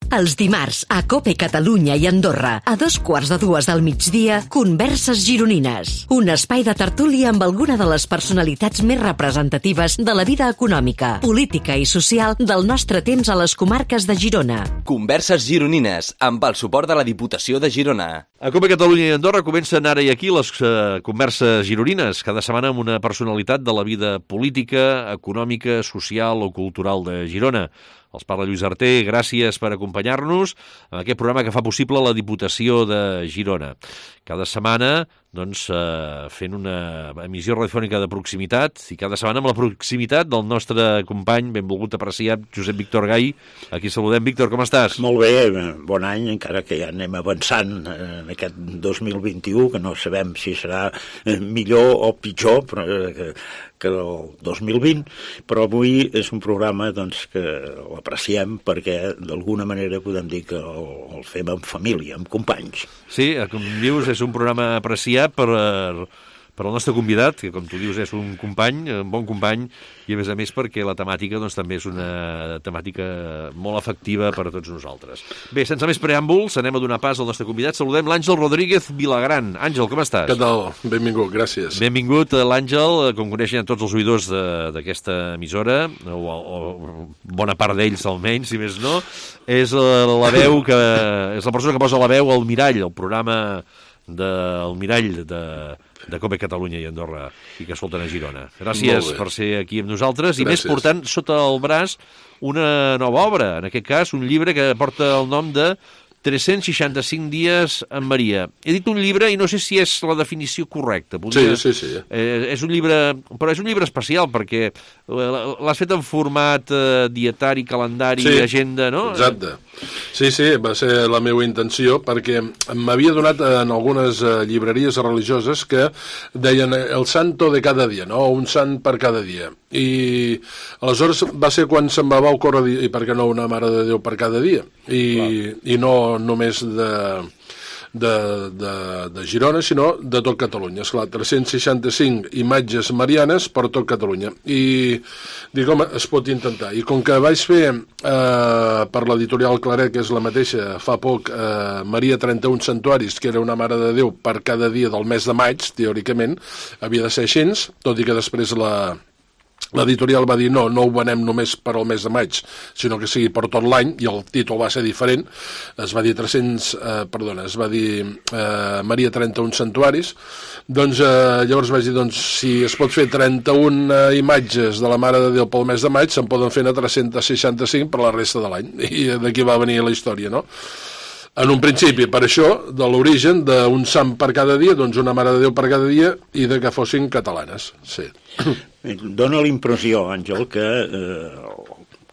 Els dimarts, a COPE Catalunya i Andorra, a 2:15 del migdia, Converses Gironines. Un espai de tertúlia amb alguna de les personalitats més representatives de la vida econòmica, política i social del nostre temps a les comarques de Girona. Converses Gironines, amb el suport de la Diputació de Girona. A COPE Catalunya i Andorra comencen ara i aquí les converses gironines, cada setmana amb una personalitat de la vida política, econòmica, social o cultural de Girona. Els parla Lluís Arter, gràcies per acompanyar-nos en aquest programa que fa possible la Diputació de Girona. Cada setmana, doncs, fent una emissió radiofònica de proximitat i cada setmana amb la proximitat del nostre company, benvolgut apreciat, Josep Víctor Gai. Aquí saludem. Víctor, com estàs? Molt bé, bon any, encara que ja anem avançant en aquest 2021, que no sabem si serà millor o pitjor que el 2020, però avui és un programa doncs, que l'apreciem perquè d'alguna manera podem dir que el fem en família, amb companys. Sí, com dius, és un programa apreciat per al nostre convidat, que com tu dius és un company, un bon company, i a més perquè la temàtica doncs, també és una temàtica molt efectiva per a tots nosaltres. Bé, sense més preàmbuls, anem a donar pas al nostre convidat. Saludem l'Àngel Rodríguez Vilagran. Àngel, com estàs? Què tal? Benvingut, gràcies. Benvingut, l'Àngel, com coneixen tots els oïdors d'aquesta emissora, o bona part d'ells almenys, si més no, és la veu que és la persona que posa la veu al Mirall, el programa del Mirall de COPE Catalunya i Andorra i que escolten a Girona. Gràcies per ser aquí amb nosaltres. I més portant sota el braç una nova obra, en aquest cas un llibre que porta el nom de 365 dies amb Maria. He dit un llibre i no sé si és la definició correcta. Sí. És un llibre, però és un llibre especial perquè l'has fet en format dietari, calendari, agenda, no? Exacte. Sí, va ser la meva intenció perquè m'havia donat en algunes llibreries religioses que deien el santo de cada dia, no? Un sant per cada dia. I aleshores va ser quan se'm va ocórrer dir, i per què no una Mare de Déu per cada dia? I no només de Girona, sinó de tot Catalunya. Esclar, 365 imatges marianes per tot Catalunya. I dic, home, es pot intentar. I com que vaig fer per l'editorial Claret, que és la mateixa, fa poc, Maria 31 Santuaris, que era una Mare de Déu per cada dia del mes de maig, teòricament, havia de ser així, tot i que després l'editorial va dir no ho venem només per al mes de maig, sinó que sigui per tot l'any, i el títol va ser diferent. Es va dir Maria 31 Santuaris. Doncs llavors vaig dir, si es pot fer 31 imatges de la Mare de Déu pel mes de maig, se'n poden fer 365 per la resta de l'any. I d'aquí va venir la història, no? En un principi, per això, de l'origen d'un sant per cada dia, doncs una Mare de Déu per cada dia, i de que fossin catalanes, sí. Dóna la impressió, Àngel, que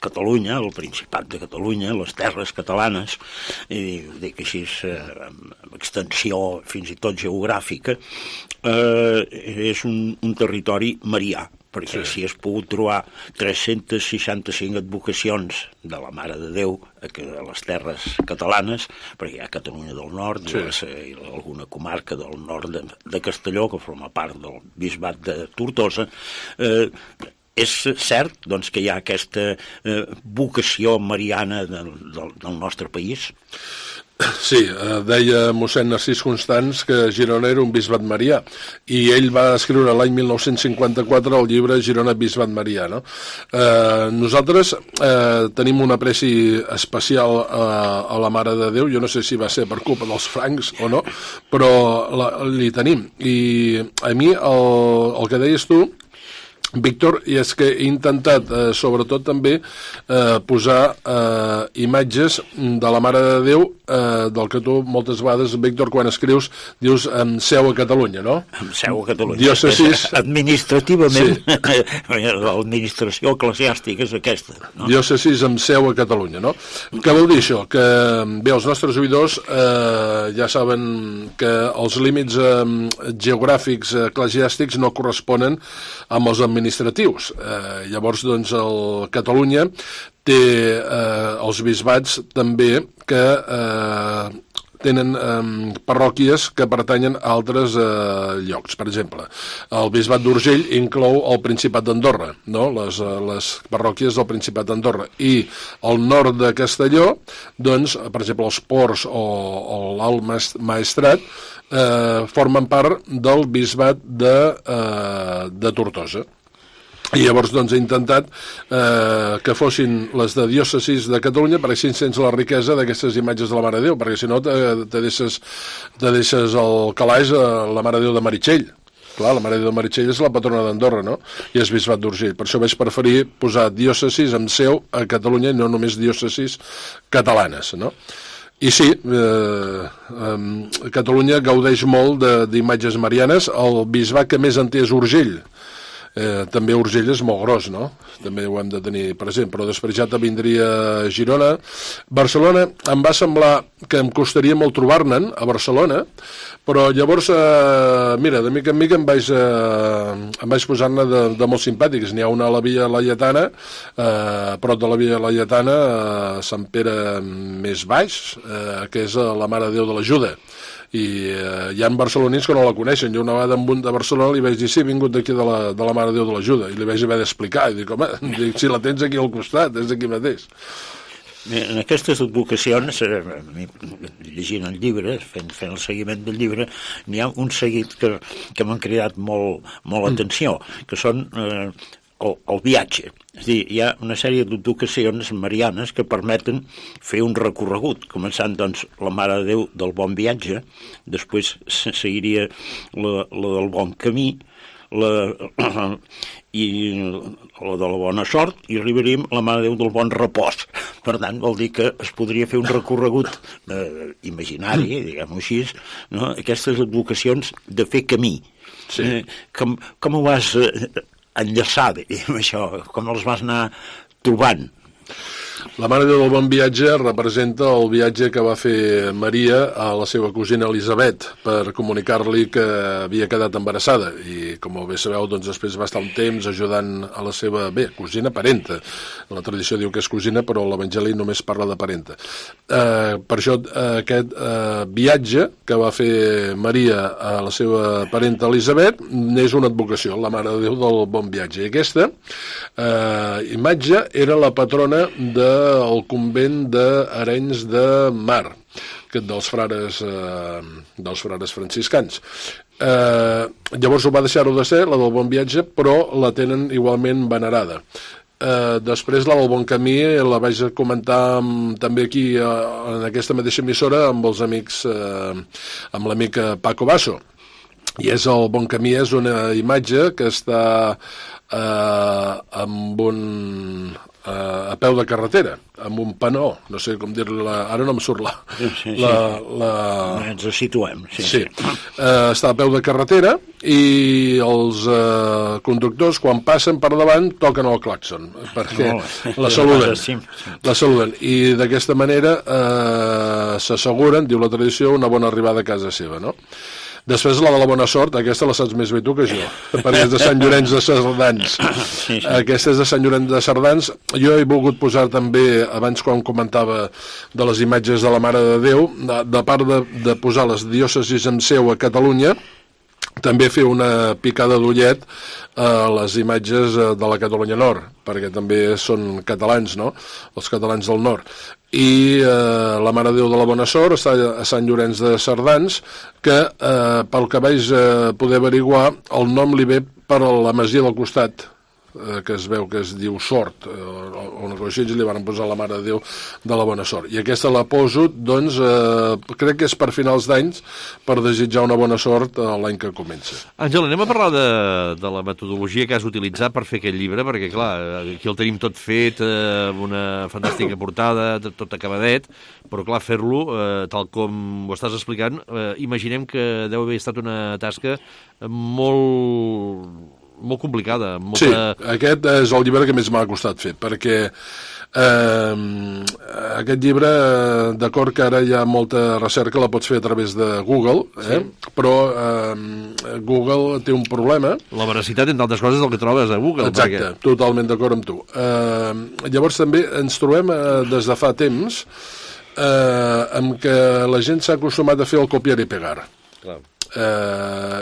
Catalunya, el Principat de Catalunya, les terres catalanes, i dic així amb extensió fins i tot geogràfica, és un territori marià, perquè si has pogut trobar 365 advocacions de la Mare de Déu a les terres catalanes, perquè hi ha Catalunya del Nord, i alguna comarca del nord de Castelló, que forma part del bisbat de Tortosa, és cert doncs, que hi ha aquesta vocació mariana del nostre país? Sí, deia mossèn Narcís Constans que Girona era un bisbat marià, i ell va escriure l'any 1954 el llibre Girona Bisbat Marià, no? Nosaltres tenim un apreci especial a la Mare de Déu. Jo no sé si va ser per culpa dels francs o no, però li tenim. I a mi el que deies tu, Víctor, i és que he intentat sobretot també posar imatges de la Mare de Déu, del que tu moltes vegades, Víctor, quan escrius dius amb seu a Catalunya, no? Amb seu a Catalunya. Diòcesis... Administrativament, l'administració eclesiàstica és aquesta, no? Diòcesis amb seu a Catalunya, no? Què vol dir això? Que bé, els nostres oïdors ja saben que els límits geogràfics eclesiàstics no corresponen amb els administratius. Llavors, doncs, Catalunya té els bisbats també que tenen parròquies que pertanyen a altres llocs. Per exemple, el bisbat d'Urgell inclou el Principat d'Andorra, no? Les parròquies del Principat d'Andorra, i al nord de Castelló, doncs, per exemple, els Ports o l'Alt Maestrat formen part del bisbat de Tortosa. I llavors doncs he intentat que fossin les de diòcesis de Catalunya, perquè així sents la riquesa d'aquestes imatges de la Mare de Déu, perquè si no te deixes el calaix a la Mare de Déu de Meritxell. Clar, la Mare de Déu de Meritxell és la patrona d'Andorra, no? I és bisbat d'Urgell. Per això vaig preferir posar diòcesis amb seu a Catalunya i no només diòcesis catalanes, no? I sí, Catalunya gaudeix molt d'imatges marianes. El bisbat que més en té és Urgell. També Urgell és molt gros, no? També ho hem de tenir present, però després ja te vindria Girona. Barcelona em va semblar que em costaria molt trobar-ne'n a Barcelona, però llavors, mira, de mica en mica em vaig posar-ne de molt simpàtics. N'hi ha una a la Via Laietana, prop de la Via Laietana, a Sant Pere més baix, que és la Mare de Déu de l'Ajuda. I hi ha barcelonins que no la coneixen. Jo una vegada amb un de Barcelona li vaig dir sí, he vingut d'aquí de la Mare de Déu de l'Ajuda, i li vaig haver d'explicar, i dic, home, si la tens aquí al costat, és aquí mateix. En aquestes advocacions, llegint el llibre, fent el seguiment del llibre, n'hi ha un seguit que m'han cridat molt l'atenció, que són el viatge. És a dir, hi ha una sèrie d'advocacions marianes que permeten fer un recorregut, començant, doncs, la Mare de Déu del Bon Viatge, després seguiria la del Bon Camí, i la de la Bona Sort, i arribaríem a la Mare de Déu del Bon Repòs. Per tant, vol dir que es podria fer un recorregut imaginari, diguem-ho així, no? Aquestes advocacions de fer camí. Sí. Com ho vas enllaçar, diguem això, com els vas anar trobant? La Mare de Déu del Bon Viatge representa el viatge que va fer Maria a la seva cosina Elisabet per comunicar-li que havia quedat embarassada, i com bé sabeu, doncs després va estar un temps ajudant a la seva, cosina parenta. La tradició diu que és cosina, però l'Evangeli només parla de parenta. Per això aquest viatge que va fer Maria a la seva parenta Elisabet és una advocació, la Mare de Déu del Bon Viatge. I aquesta imatge era la patrona del convent d'Arenys de Mar, dels frares franciscans. Llavors ho va deixar-ho de ser, la del Bon Viatge, però la tenen igualment venerada. Després la del Bon Camí la vaig comentar també aquí en aquesta mateixa emissora amb els amics, amb l'amic Paco Basso, i és el Bon Camí, és una imatge que està amb a peu de carretera, amb un panó, no sé com dir-li, ara no em surt ens situem. Sí. Està a peu de carretera i els conductors, quan passen per davant, toquen el clàxon, perquè la saluden. I d'aquesta manera s'asseguren, diu la tradició, una bona arribada a casa seva, no? Després la de la Bona Sort, aquesta la saps més bé tu que jo, perquè és de Sant Llorenç de Cerdans. Aquesta és de Sant Llorenç de Cerdans. Jo he volgut posar també, abans quan comentava de les imatges de la Mare de Déu, de part de posar les diòcesis amb seu a Catalunya, també fer una picada d'ullet a les imatges de la Catalunya Nord, perquè també són catalans, no?, els catalans del nord. I la Mare de Déu de la Bona Sort està a Sant Llorenç de Cerdans, que pel que vaig poder averiguar, el nom li ve per la masia del costat, que es veu que es diu Sort, o una cosa així, li van posar la Mare de Déu de la Bona Sort. I aquesta la poso, doncs, crec que és per finals d'anys, per desitjar una bona sort l'any que comença. Àngel, anem a parlar de la metodologia que has utilitzat per fer aquest llibre, perquè, clar, aquí el tenim tot fet, amb una fantàstica portada, tot acabadet, però, clar, fer-lo, tal com ho estàs explicant, imaginem que deu haver estat una tasca molt complicada. Sí, aquest és el llibre que més m'ha costat fer, perquè aquest llibre, d'acord que ara hi ha molta recerca, la pots fer a través de Google, però Google té un problema. La veracitat, entre altres coses, del que trobes a Google. Exacte, totalment d'acord amb tu. Llavors també ens trobem des de fa temps amb què la gent s'ha acostumat a fer el copiar i pegar. Clar.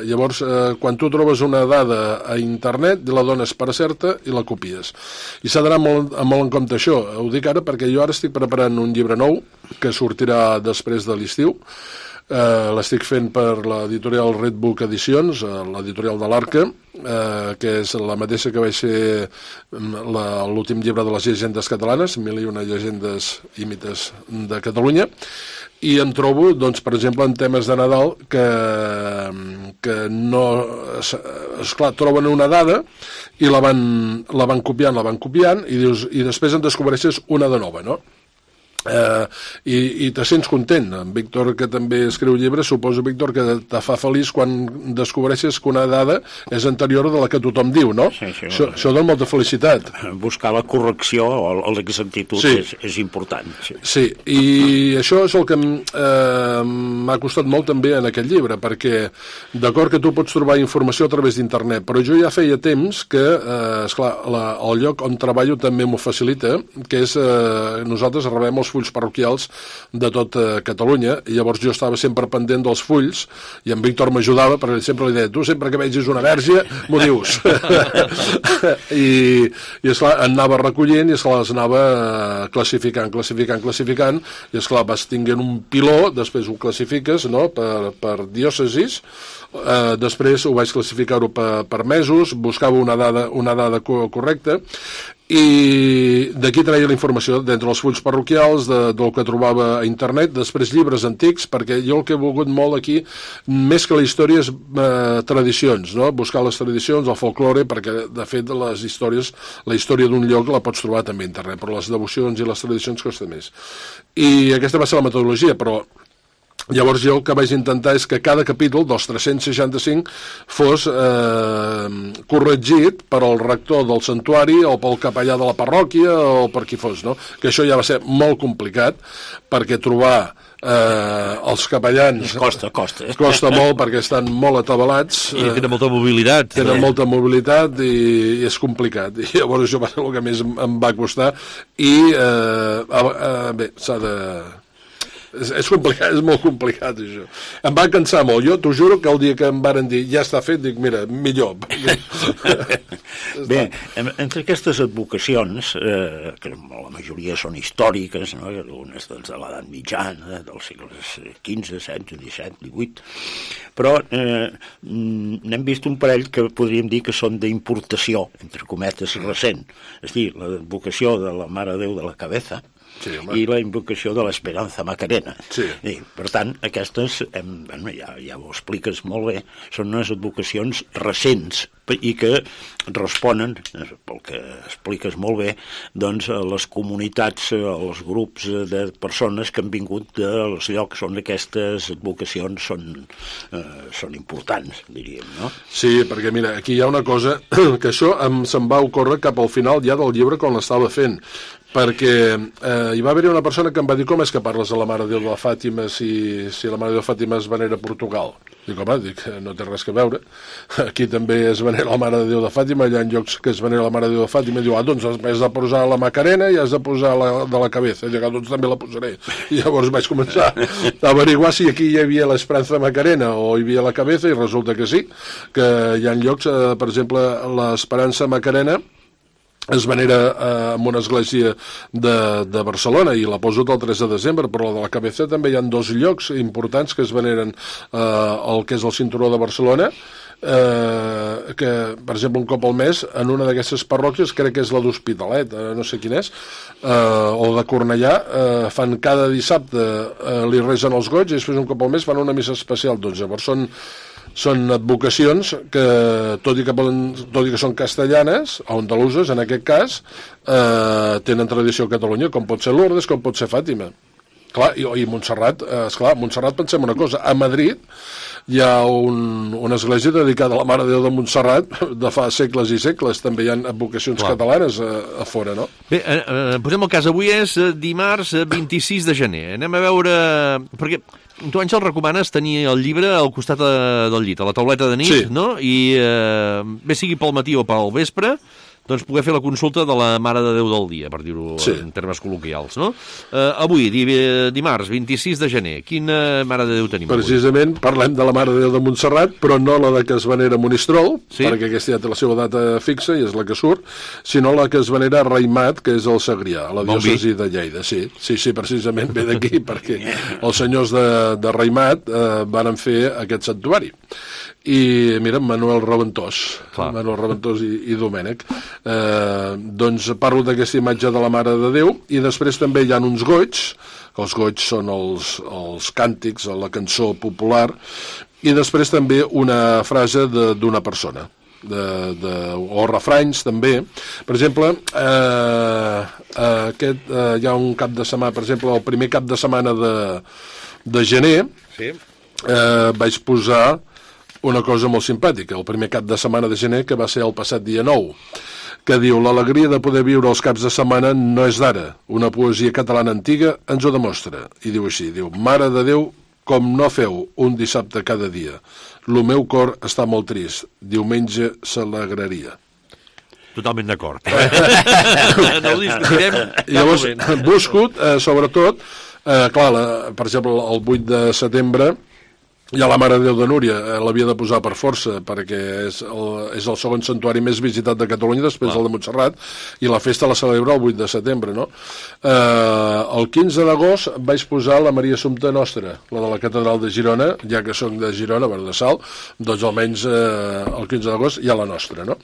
Llavors, quan tu trobes una dada a internet, la dones per certa i la copies. I s'ha d'anar molt en compte això. Ho dic ara perquè jo ara estic preparant un llibre nou que sortirà després de l'estiu. L'estic fent per l'editorial Red Book Edicions, l'editorial de l'Arca, que és la mateixa que vaig ser l'últim llibre de les llegendes catalanes, 1001 llegendes i mites de Catalunya, i em trobo, doncs, per exemple, en temes de Nadal que no... Esclar, troben una dada i la van copiant, i després en descobreixes una de nova, no? I te sents content. En Víctor, que també escriu llibres, suposo, Víctor, que te fa feliç quan descobreixes que una dada és anterior de la que tothom diu, no? Sí, això dona molta felicitat. Buscar la correcció o l'exactitud és important. Sí, i això és el que m'ha costat molt també en aquest llibre, perquè d'acord que tu pots trobar informació a través d'internet, però jo ja feia temps que, esclar, el lloc on treballo també m'ho facilita, que és nosaltres rebem els fulls parroquials de tot Catalunya, i llavors jo estava sempre pendent dels fulls, i en Víctor m'ajudava, perquè sempre li deia, tu sempre que vegis una verge, m'ho dius. I esclar, anava recollint, i esclar, les anava classificant, i esclar, vas tinguent un piló, després ho classifiques, no?, per diòcesis, després ho vaig classificar-ho per mesos, buscava una dada correcta, i d'aquí traia la informació d'entre els fulls parroquials, del que trobava a internet, després llibres antics, perquè jo el que he volgut molt aquí, més que la història, és tradicions, no? Buscar les tradicions, el folklore, perquè de fet les històries, la història d'un lloc la pots trobar també a internet, però les devocions i les tradicions costa més. I aquesta va ser la metodologia, però llavors jo el que vaig intentar és que cada capítol dels 365 fos corregit per al rector del santuari o pel capellà de la parròquia o per qui fos, no? Que això ja va ser molt complicat, perquè trobar els capellans costa molt, perquè estan molt atabalats i tenen molta mobilitat i és complicat, i llavors això va ser el que més em va costar, i bé, s'ha de... És complicat, és molt complicat, això. Em va cansar molt. Jo t'ho juro que el dia que em varen dir ja està fet, dic, mira, millor. Bé, entre aquestes advocacions, que la majoria són històriques, no? Algunes de l'edat mitjana, dels segles XV, XVI, XVII, XVIII, però n'hem vist un parell que podríem dir que són d'importació, entre cometes, recent. És a dir, l'advocació de la Mare de Déu de la Cabeza, sí, i la invocació de l'Esperanza Macarena. Sí. I, per tant, aquestes, ja ho expliques molt bé, són unes advocacions recents i que responen, pel que expliques molt bé, doncs, a les comunitats, als grups de persones que han vingut dels llocs on aquestes advocacions són importants, diríem, no? Sí, perquè mira, aquí hi ha una cosa que això se'm va ocórrer cap al final ja del llibre quan l'estava fent, perquè hi va haver una persona que em va dir, com és que parles de la Mare de Déu de Fàtima si la Mare de Déu de Fàtima es venera a Portugal? Dic, home, no té res a veure, aquí també es venera la Mare de Déu de Fàtima, hi ha llocs que es venera la Mare de Déu de Fàtima, i diu, doncs has de posar la Macarena i has de posar la de la Cabeza, i dic, doncs també la posaré. I llavors vaig començar a averiguar si aquí hi havia l'Esperanza Macarena o hi havia la Cabeza, i resulta que sí, que hi ha llocs, per exemple, l'Esperança Macarena es venera en una església de Barcelona, i la poso el 3 de desembre, però la de la Cabeza també hi ha 2 llocs importants que es veneren el que és el cinturó de Barcelona, que, per exemple, un cop al mes, en una d'aquestes parròquies, crec que és la d'Hospitalet, no sé quin és, o de Cornellà, fan cada dissabte, li resen els goigs, i després un cop al mes fan una missa especial. Doncs llavors són advocacions que, tot i que són castellanes, o andaluses en aquest cas, tenen tradició a Catalunya, com pot ser Lourdes, com pot ser Fàtima. Clar, i Montserrat, esclar, Montserrat, pensem una cosa, a Madrid hi ha una església dedicada a la Mare de Déu de Montserrat de fa segles i segles, també hi ha advocacions catalanes a fora, no? Bé, posem el cas, avui és dimarts 26 de gener, anem a veure, perquè tu, Àngel, recomanes tenir el llibre al costat del llit, a la tauleta de nit, sí, no? I bé sigui pel matí o pel vespre, doncs, poder fer la consulta de la Mare de Déu del dia, per dir-ho en termes col·loquials, no? Avui, dimarts, 26 de gener, quina Mare de Déu tenim avui? Precisament parlem de la Mare de Déu de Montserrat, però no la de que es venera a Monistrol, perquè aquesta ja té la seva data fixa i és la que surt, sinó la que es venera a Raimat, que és el Segrià, a la diòcesi de Lleida. Sí, precisament ve d'aquí, perquè els senyors de Raimat van fer aquest santuari. I mira, Manuel Raventós i Domènec, doncs parlo d'aquesta imatge de la Mare de Déu, i després també hi ha uns goigs, que els goigs són els càntics, la cançó popular, i després també una frase d'una persona, o refranys també. Per exemple, hi ha un cap de setmana, per exemple, el primer cap de setmana de gener, vaig posar una cosa molt simpàtica, el primer cap de setmana de gener, que va ser el passat dia 9, que diu: l'alegria de poder viure els caps de setmana no és d'ara, una poesia catalana antiga ens ho demostra. I diu així, Mare de Déu, com no feu un dissabte cada dia, lo meu cor està molt trist, diumenge s'alegraria. Totalment d'acord. No ho discutirem. Llavors, busco, sobretot, clar, per exemple, el 8 de setembre, hi ha la Mare de Déu de Núria, l'havia de posar per força, perquè és el segon santuari més visitat de Catalunya, després del de Montserrat, i la festa la celebra el 8 de setembre, no? El 15 d'agost vaig posar la Maria Assumpta Nostra, la de la Catedral de Girona, ja que soc de Girona, de Salt, doncs almenys el 15 d'agost hi ha la nostra, no?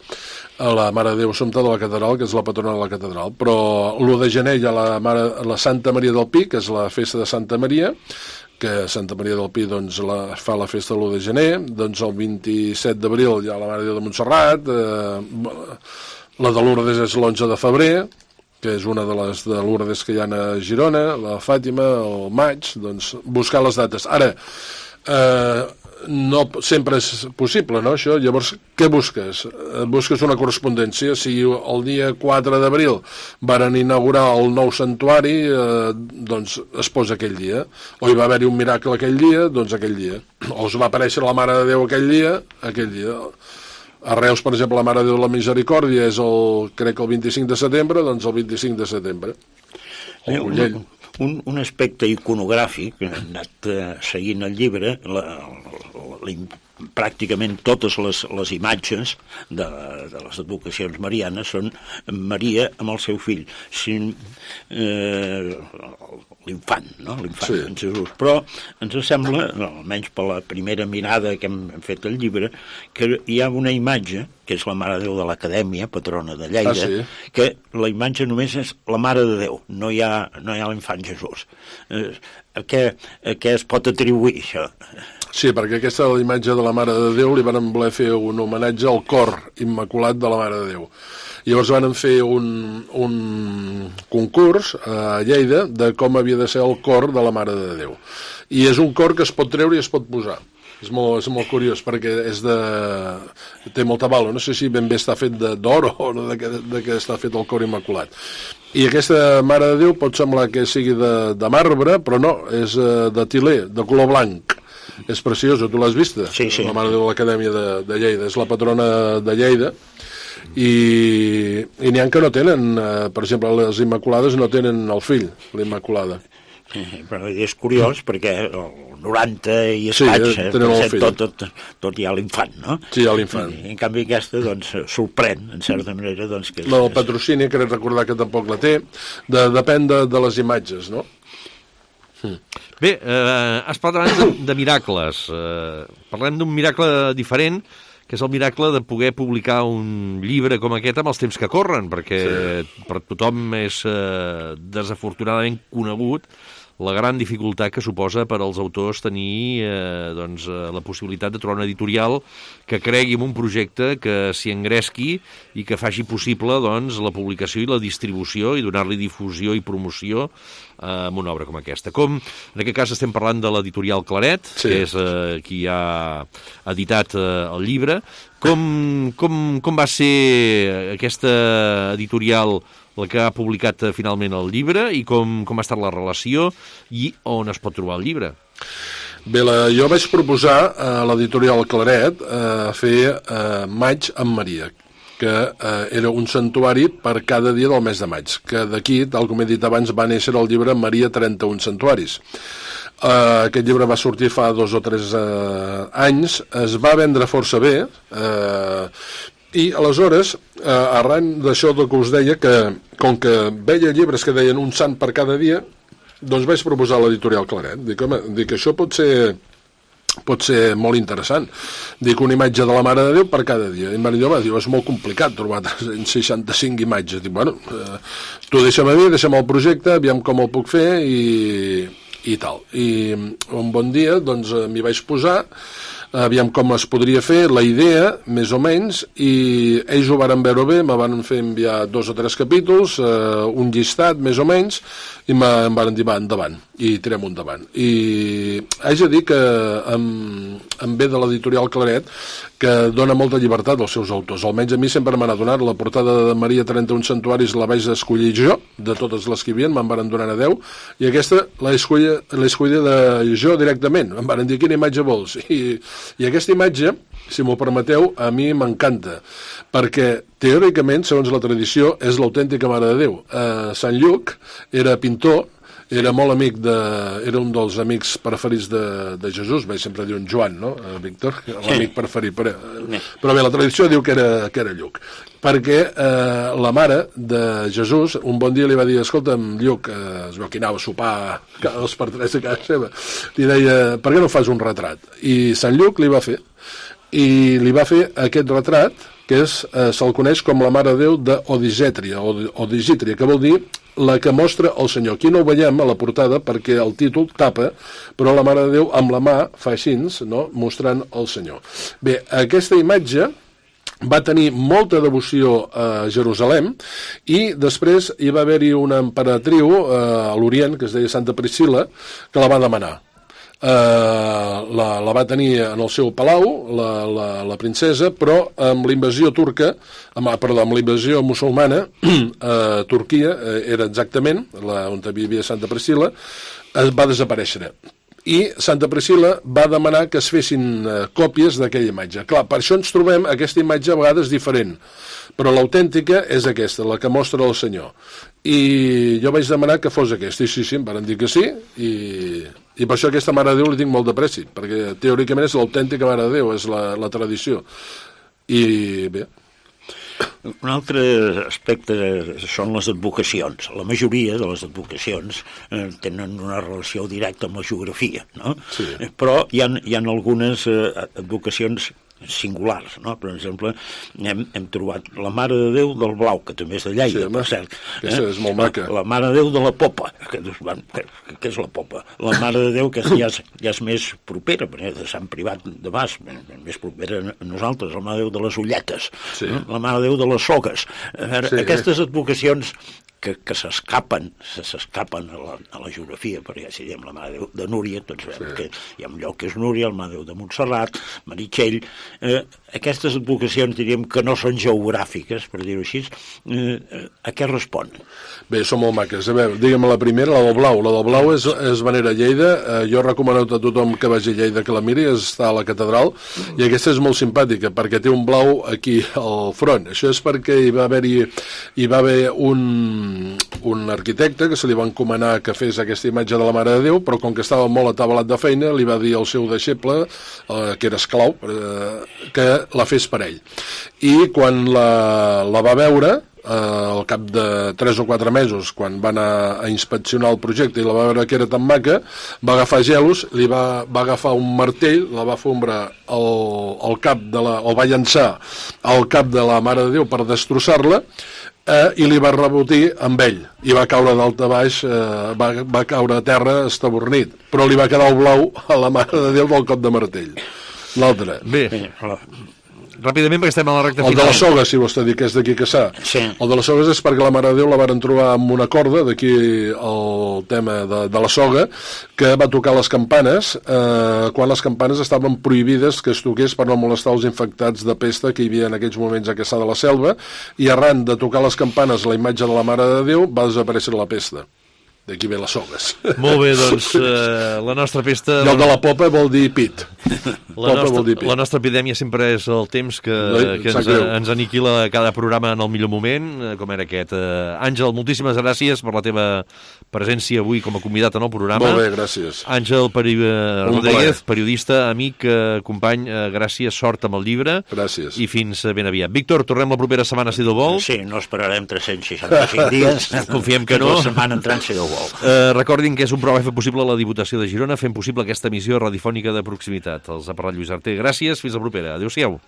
La Mare de Déu Assumpta de la Catedral, que és la patrona de la Catedral. Però l'1 de gener hi ha la Santa Maria del Pi, que és la festa de Santa Maria, que Santa Maria del Pi doncs, fa la festa l'1 de gener, doncs el 27 d'abril hi ha la Mare de Déu de Montserrat, la de Lourdes és l'11 de febrer, que és una de les de Lourdes que hi ha a Girona, la Fàtima, el maig, doncs buscar les dates. Ara, no sempre és possible, no, això? Llavors, què busques? Busques una correspondència. Si el dia 4 d'abril varen inaugurar el nou santuari, doncs es posa aquell dia. O hi va haver-hi un miracle aquell dia, doncs aquell dia. O us va aparèixer la Mare de Déu aquell dia. A Reus, per exemple, la Mare de Déu de la Misericòrdia és crec que el 25 de setembre, doncs el 25 de setembre. El Collell. Un aspecte iconogràfic, que hem anat seguint el llibre, pràcticament totes les imatges de les advocacions marianes són Maria amb el seu fill, l'infant, no? L'infant Jesús. Però ens sembla, almenys per la primera mirada que hem fet al llibre, que hi ha una imatge, que és la Mare de Déu de l'Acadèmia, patrona de Lleida, que la imatge només és la Mare de Déu, no hi ha l'infant Jesús. A què es pot atribuir això? Sí, perquè aquesta és la imatge de la Mare de Déu, li van voler fer un homenatge al cor immaculat de la Mare de Déu. Llavors van fer un concurs a Lleida de com havia de ser el cor de la Mare de Déu. I és un cor que es pot treure i es pot posar. És molt curiós, perquè té molta vàlua. No sé si ben bé està fet d'or o de què està fet el cor immaculat. I aquesta Mare de Déu pot semblar que sigui de marbre, però no, és de tilè, de color blanc. És preciosa, tu l'has vista? Sí. La Mare de Déu de l'Acadèmia de Lleida. És la patrona de Lleida. I n'hi ha que no tenen, per exemple, les Immaculades no tenen el fill, l'Immaculada. Però és curiós perquè el 90 i escaig, tot hi ha l'infant, no? Sí, hi ha l'infant. I en canvi aquesta, doncs, sorprèn, en certa manera, doncs... El patrocini, crec recordar que tampoc la té, depèn de les imatges, no? Bé, has parlat de miracles. Parlem d'un miracle diferent, que és el miracle de poder publicar un llibre com aquest amb els temps que corren, perquè per tothom és desafortunadament conegut la gran dificultat que suposa per als autors tenir la possibilitat de trobar una editorial que cregui en un projecte, que s'hi engresqui i que faci possible la publicació i la distribució i donar-li difusió i promoció amb una obra com aquesta. En aquest cas estem parlant de l'editorial Claret, que és qui ha editat el llibre. Com va ser aquesta editorial la que ha publicat finalment el llibre i com ha estat la relació i on es pot trobar el llibre? Bé, jo vaig proposar a l'editorial Claret fer Maig amb Maria, que era un santuari per cada dia del mes de maig, que d'aquí, tal com he dit abans, va néixer el llibre Maria 31 santuaris. Aquest llibre va sortir fa 2 o 3 anys, es va vendre força bé, i aleshores, arran d'això que us deia, que com que veia llibres que deien un sant per cada dia, doncs vaig proposar a l'editorial Claret. Dic, això pot ser molt interessant. Dic, una imatge de la Mare de Déu per cada dia. I Maria va dir, és molt complicat trobar 365 imatges. Dic, bueno, tu deixa'm a mi, deixa'm el projecte, aviam com el puc fer i tal. I un bon dia, doncs, m'hi vaig posar, aviam com es podria fer, la idea, més o menys, i ells ho varen veure bé, me van fer enviar 2 o 3 capítols, un llistat, més o menys, i em van dir, va, endavant, i tirem endavant. I haig de dir que em ve de l'editorial Claret, que dona molta llibertat als seus autors. Almenys a mi sempre m'han donat la portada de Maria 31 santuaris, la vaig escollir jo, de totes les que hi havia, me'n van donar a 10, i aquesta l'he escollit jo directament. Em van dir, quina imatge vols? I aquesta imatge, si m'ho permeteu, a mi m'encanta, perquè teòricament, segons la tradició, és l'autèntica Mare de Déu. Sant Lluc era pintor, era molt amic era un dels amics preferits de Jesús, vaig sempre dir un Joan, no, Víctor? L'amic preferit, però bé, la tradició diu que era Lluc, perquè la mare de Jesús un bon dia li va dir, escolta'm, Lluc, es veu que anava a sopar cada 2 per 3 a casa seva, li deia, per què no fas un retrat? I Sant Lluc li va fer, i li va fer aquest retrat, que se'l coneix com la Mare de Déu d'Odigítria, que vol dir la que mostra el Senyor. Aquí no ho veiem a la portada perquè el títol tapa, però la Mare de Déu amb la mà fa així, no?, mostrant el Senyor. Bé, aquesta imatge va tenir molta devoció a Jerusalem i després hi va haver-hi una emperatriu a l'Orient, que es deia Santa Priscil·la, que la va demanar. La va tenir en el seu palau, la princesa, però amb l'invasió turca, amb la invasió musulmana, Turquia era exactament on vivia Santa Priscil·la, va desaparèixer. I Santa Priscil·la va demanar que es fessin còpies d'aquella imatge. Clar, per això ens trobem aquesta imatge a vegades diferent, però l'autèntica és aquesta, la que mostra el Senyor. I jo vaig demanar que fos aquesta, i sí, em van dir que sí, i per això aquesta Mare de Déu li tinc molt de preci, perquè teòricament és l'autèntica Mare de Déu, és la tradició. I bé... Un altre aspecte són les advocacions. La majoria de les advocacions tenen una relació directa amb la geografia, no? Sí. Però hi ha algunes advocacions singulars, no? Per exemple, hem trobat la Mare de Déu del Blau, que també és de Lleida, sí, per cert. És molt maca. La Mare de Déu de la Popa, que és la Popa? La Mare de Déu que ja és més propera, de Sant Privat de Bas, més propera a nosaltres, la Mare de Déu de les Ulletes, sí. La Mare de Déu de les Sogues. Sí. Aquestes advocacions que s'escapen a la geografia, perquè si diem la Mare de Déu de Núria, tots veiem que hi ha un lloc que és Núria, el Mare de Déu de Montserrat, Meritxell, aquestes advocacions diríem que no són geogràfiques, per dir-ho així, a què respon? Bé, són molt maques. A veure, digue'm la primera, la del Blau. La del Blau és Venera Lleida. Jo recomano a tothom que vagi a Lleida que la miri, està a la catedral, i aquesta és molt simpàtica, perquè té un blau aquí al front. Això és perquè hi va haver un arquitecte que se li va encomanar que fes aquesta imatge de la Mare de Déu, però com que estava molt atabalat de feina, li va dir al seu deixeble, que era esclau, que la fes per ell. I quan la va veure, al cap de 3 o 4 mesos, quan va anar a inspeccionar el projecte i la va veure que era tan maca, va agafar gelos, va agafar un martell, la va fondre al cap o va llançar al cap de la Mare de Déu per destrossar-la, i li va rebotir amb ell, i va caure dalt a baix, va caure a terra estabornit, però li va quedar el blau a la Mare de Déu del cop de martell. L'altre. Bé, ràpidament, perquè estem a la recta final. El de les Sogues, si vostè diu que és d'aquí que s'ha. Sí. El de les Sogues és perquè la Mare de Déu la varen trobar amb una corda, d'aquí el tema de la soga, que va tocar les campanes, quan les campanes estaven prohibides que es toqués per no molestar els infectats de pesta que hi havia en aquells moments a Cassà de la Selva, i arran de tocar les campanes la imatge de la Mare de Déu va desaparèixer la pesta. D'aquí ve les Sogues. Molt bé, doncs la nostra pesta... I el de la Popa vol dir pit. La nostra epidèmia sempre és el temps que ens aniquila cada programa en el millor moment, com era aquest. Àngel, moltíssimes gràcies per la teva presència avui com a convidat en el programa. Molt bé, gràcies. Àngel Rodríguez, periodista, amic, company, gràcies, sort amb el llibre. Gràcies. I fins ben aviat. Víctor, tornem la propera setmana, si Déu vol. Sí, no esperarem 365 dies. Confiem que no. La setmana entrant, si Déu vol. Recordin que és un programa fet possible a la Diputació de Girona, fent possible aquesta emissió radiofònica de proximitat. Els ha parlat Lluís Arter. Gràcies, fins la propera. Adéu-siau.